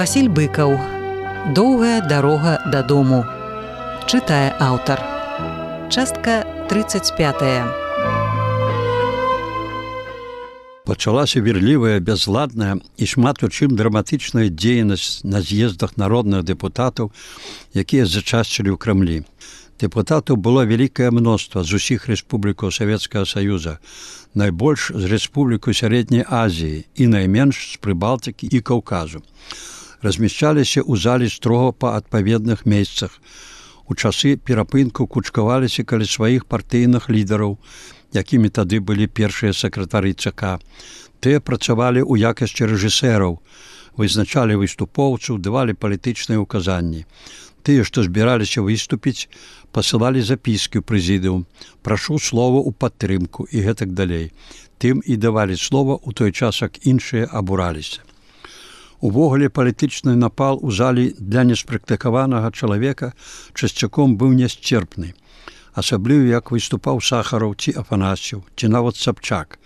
Васіль Быкаў. Доўгая дарога дадому. Чытае аўтар. Частка 35. Пачалася вірлівая, бязладная і шмат у чым драматычная дзейнасць на з'ездах народных дэпутатаў, якія зачасцілі ў Крамлі. Дэпутатаў было вялікае мноства з усіх рэспублікаў Савецкага Саюза, найбольш з рэспублікаў Сярэдняй Азіі і найменш з Прыбалтыкі і Каўказу. Размяшчаліся ў залі строга па адпаведных месцах. У часы перапынку кучкаваліся каля сваіх партыйных лідараў, якімі тады былі першыя сакратары ЦК. Тыя працавалі ў якасці рэжысэраў, вызначалі выступоўцаў, давалі палітычныя ўказанні. Тыя, што збіраліся выступіць, пасылалі запіскі ў прэзідыум, прашу слова ў падтрымку і гэтак далей. Тым і давалі слова ў той час, як іншыя абураліся. Увогуле палітычны напал у залі для неспрактыкаванага чалавека часцяком быў нясцерпны. Асабліва, як выступаў Сахараў ці Афанасьеў, ці нават Сабчак.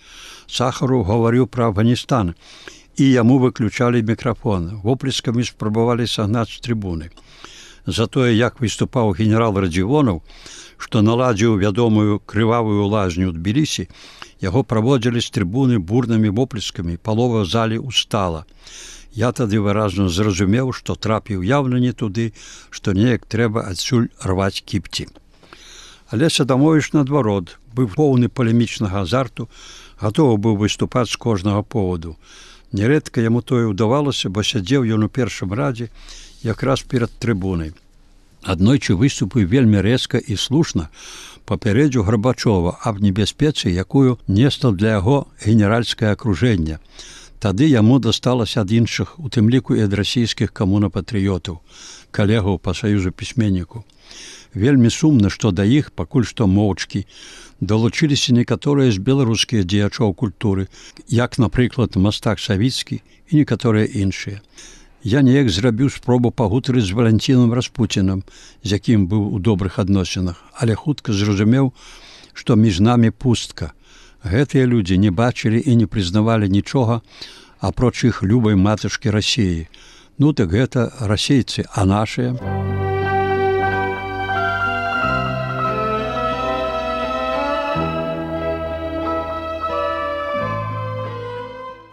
Сахараў гаварыў пра Афганістан, і яму выключалі мікрафон. Воплескамі спрабавалі сагнаць з трыбуны. Затое, як выступаў генерал Радзівонаў, што наладзіў вядомую крывавую лазню ў Тбілісі, яго праводзілі з трыбуны бурнымі воплескамі, палова залі устала. Я тады выразна зразумеў, што трапіў яўна не туды, што неяк трэба адсюль рваць кіпці. Але Садамовіч, наадварот, быў поўны палемічнага азарту, гатовы быў выступаць з кожнага поводу. Нярэдка яму тое ўдавалася, бо сядзеў ён у першым радзе якраз перад трыбунай. Аднойчы выступіў вельмі рэзка і слушна, папярэдзіў Гарбачова аб небяспецы, якую несла для яго генеральскае акружэнне. Тады яму дасталася ад іншых, у тым ліку і ад расійскіх камунапатрыётаў, калегаў па саюзу пісьменніку. Вельмі сумна, што да іх, пакуль што моўчкі, далучыліся некаторыя з беларускіх дзеячоў культуры, як, напрыклад, мастак Савіцкі і некаторыя іншыя. Я неяк зрабіў спробу пагутарыць з Валянцінам Распуцінам, з якім быў у добрых адносінах, але хутка зразумеў, што між намі пустка. Гэтыя людзі не бачылі і не прызнавалі нічога, апроч іх любай матачкі Расіі. Ну так гэта расейцы, а нашыя?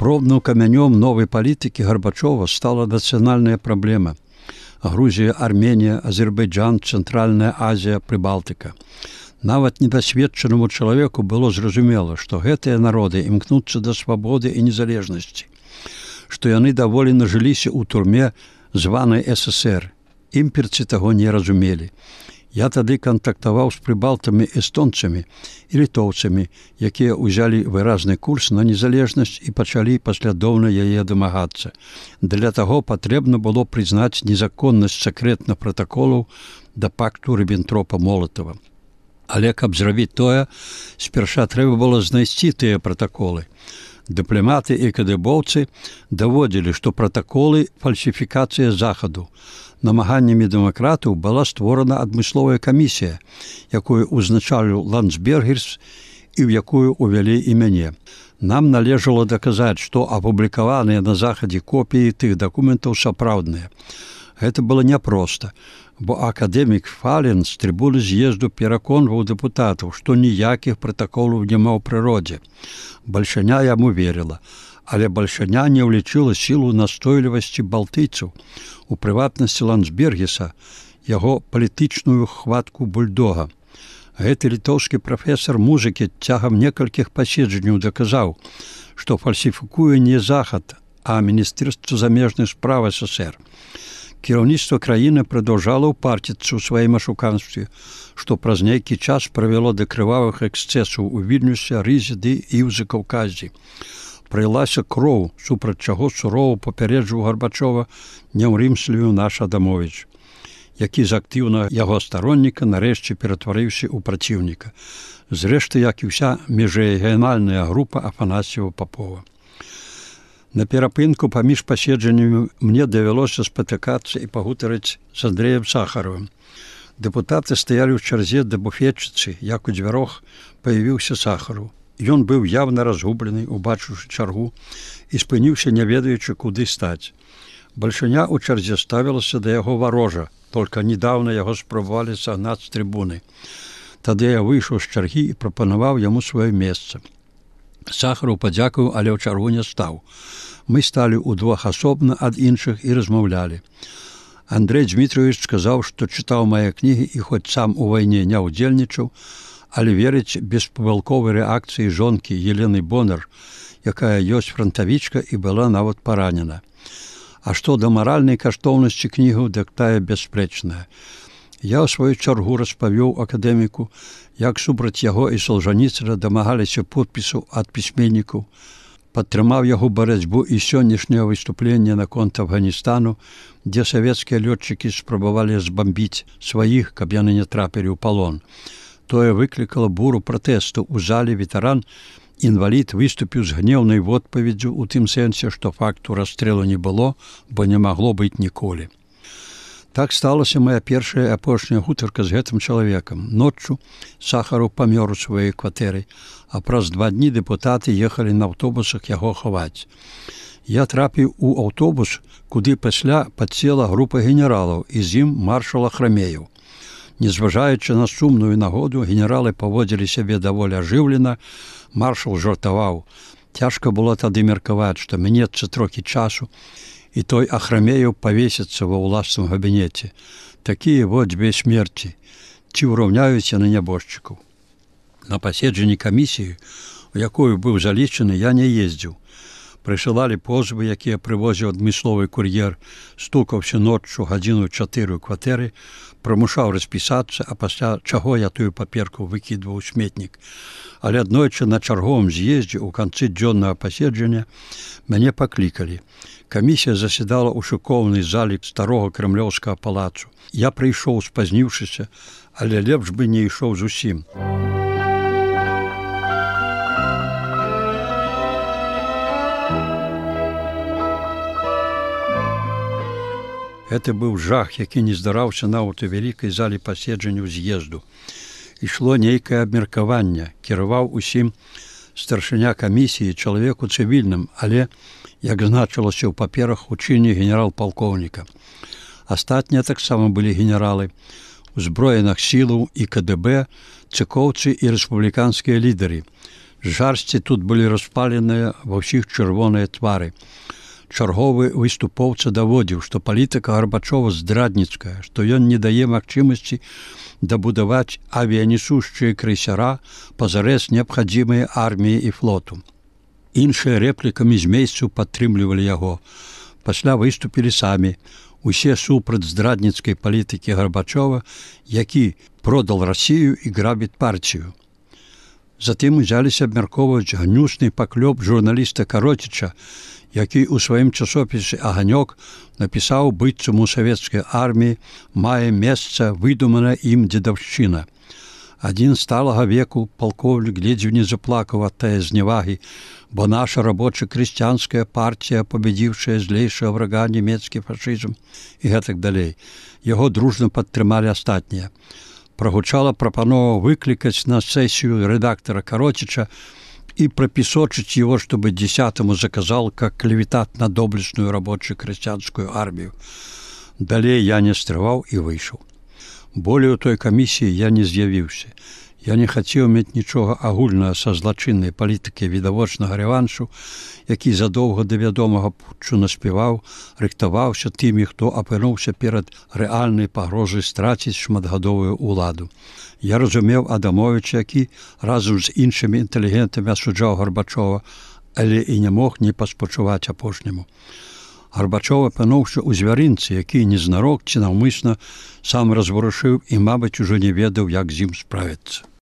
Пробным камянём новай палітыкі Гарбачова стала нацыянальная праблема. Грузія, Арменія, Азербайджан, Цэнтральная Азія, Прыбалтыка. Нават недасведчанаму чалавеку было зразумела, што гэтыя народы імкнуцца да свабоды і незалежнасці, што яны даволі нажыліся ў турме званай ССР. Імперцы таго не разумелі. Я тады кантактаваў з прыбалтамі эстонцамі і літоўцамі, якія ўзялі выразны курс на незалежнасць і пачалі паслядоўна яе дамагацца. Для таго патрэбна было прызнаць незаконнасць сакрэтных пратаколаў да пакту Ріббентропа-Молатава. Але каб зрабіць тое, спярша трэба было знайсці тыя пратаколы. Дыпламаты і кадыбоўцы даводзілі, што пратаколы – фальсіфікацыя захаду. Намаганнямі дэмакратаў была створана адмысловая камісія, якую ўзначаліў Ландсбергерс і ў якую ўвялі і мяне. Нам належала даказаць, што апублікаваныя на захадзе копіі тых дакументаў сапраўдныя. Гэта было няпроста, бо акадэмік Фален з трыбуны з'езду пераконваў дэпутатаў, што ніякіх пратаколаў няма ў прыродзе. Бальшаня яму верыла, але бальшаня не ўлічыла сілу настойлівасці балтыйцаў, у прыватнасці Ландсбергеса, яго палітычную хватку бульдога. Гэты літоўскі прафесар музыкі цягам некалькіх паседжанняў даказаў, што фальсіфікуе не захад, а Міністэрства замежных спраў ССР. Кіраўніцтва краіны прадаўжала ўпарціцца ў сваім ашуканстве, што праз нейкі час прывяло да крывавых эксцэсаў у Вільнюсе, Рызе ды і ў Закаўказі. Прылася кроў, супраць чаго сурова папярэджваў Гарбачова няўрымслівы наш Адамовіч, які з актыўнага яго старонніка нарэшце ператварыўся ў праціўніка. Зрэшты, як і ўся міжрэгіянальная група Афанасьева-Папова. На перапынку паміж паседжаннямі мне давялося спатыкацца і пагутарыць з Андрэем Сахаровым. Дэпутаты стаялі ў чарзе да буфетчыцы, як у дзвярох паявіўся Сахаров. Ён быў явна разгублены, убачыўшы чаргу, і спыніўся, не ведаючы, куды стаць. Бальшыня ў чарзе ставілася да яго варожа, толькі недаўна яго спрабавалі сагнаць з трыбуны. Тады я выйшаў з чаргі і прапанаваў яму сваё месца. Сахараў падзякаваў, але ў чаргу не стаў. Мы сталі ўдвох асобна ад іншых і размаўлялі. Андрэй Дмітрович сказаў, што чытаў мае кнігі і хоць сам у вайне не ўдзельнічаў, але верыць беспамылковай рэакцыі жонкі Елены Бонар, якая ёсць франтавічка і была нават паранена. А што да маральнай каштоўнасці кнігаў, дык тая бясспрэчная. Я ў сваю чаргу распавёў акадэміку, як супраць яго і Солжаніцына дамагаліся подпісаў ад пісьменнікаў, падтрымаў яго барацьбу і сённяшняе выступленне наконт Афганістану, дзе савецкія лётчыкі спрабавалі збамбіць сваіх, каб яны не трапілі ў палон. Тое выклікала буру пратэсту. У зале ветэран, інвалід выступіў з гнеўнай водпаведдзю ў тым сэнсе, што факту расстрэлу не было, бо не магло быць ніколі. Так сталася моя першая і апошняя гутарка з гэтым чалавекам. Ноччу Сахараў памёр у сваёй кватэры, а праз 2 дні дэпутаты ехалі на аўтобусах яго хаваць. Я трапіў у аўтобус, куды пасля падсела група генералаў і з ім маршал Ахрамеев. Незважаючы на сумную нагоду, генералы паводзілі сябе даволі ажыўлена, маршал жартаваў. Цяжка было тады меркаваць, што мінецца трохі часу, і той Ахрамеев павесіцца ва ўласным габінеце. Такія вот дзве смерці. Ці ўраўняюць яны нябожчыкаў? На паседжанні камісіі, у якую быў залічаны, я не ездзіў. Прысылалі позвы, якія прывозіў адмысловы кур'ер, стукаўся ноччу 1:04 ў кватэры, прымушаў распісацца, а пасля чаго я тую паперку выкідваў у сметнік. Але аднойчы на чарговым з'ездзе ў канцы дзённага паседжання мяне паклікалі. Камісія заседала ў шыкоўнай залі старога крэмлёўскага палацу. Я прыйшоў, спазніўшыся, але лепш бы не ішоў зусім. Гэта быў жах, які не здараўся нават у вялікай залі паседжанняў з'езду. Ішло нейкае абмеркаванне, кіраваў усім старшыня камісіі, чалавеку цывільным, але, як значылася ў паперах, у чыне генерал-палкоўніка. Астатнія таксама былі генералы, узброеных сілаў і КДБ, цыкоўцы і рэспубліканскія лідары. Жарсці тут былі распаленыя ва ўсіх чырвоныя твары. Чарговы выступоўца даводзіў, што палітыка Гарбачова здрадніцкая, што ён не дае магчымасці дабудаваць авіянесушчыя крейсера, пазарэз неабхадзімыя арміі і флоту. Іншыя рэплікамі з месцаў падтрымлівалі яго. Пасля выступілі самі. Усе супраць здрадніцкай палітыкі Гарбачова, які продал Расію і грабіць партію. Затым узяліся абмяркоўваць гнюсны паклёп журналіста Кароціча, які ў сваім часопісе «Аганёк» напісаў, быццам у савецкай арміі мае месца выдуманая ім дзедаўшчына. Адзін сталага веку палкоўнік ледзьве не заплакаў ад тае зневагі, бо наша рабоча-крысціянская партія, пабедзіўшая злейшага врага нямецкі фашызм і гэтак далей. Яго дружна падтрымалі астатнія. Прагучала прапанова выклікаць на сесію рэдактара Кароціча и пропесочить его, чтобы 10-му заказал как клеветат на доблестную рабочую-крестьянскую армию. Далее я не стрываў и вышел. Более у той комиссии я не з'явіўся. Я не хацеў мець нічога агульнага са злачыннай палітыкай відавочнага рэваншу, які задоўга да вядомага путчу наспяваў, рыхтаваўся тымі, хто апынуўся перад рэальнай пагрозай страціць шматгадовую ўладу. Я разумеў Адамовіча, які разам з іншымі інтэлігентамі асуджаў Гарбачова, але і не мог не паспачуваць апошняму. Гарбачов апынуўся ў звярынцы, які незнарок ці наўмысна сам разварушыў і, мабыць, ужо не ведаў, як з ім справіцца.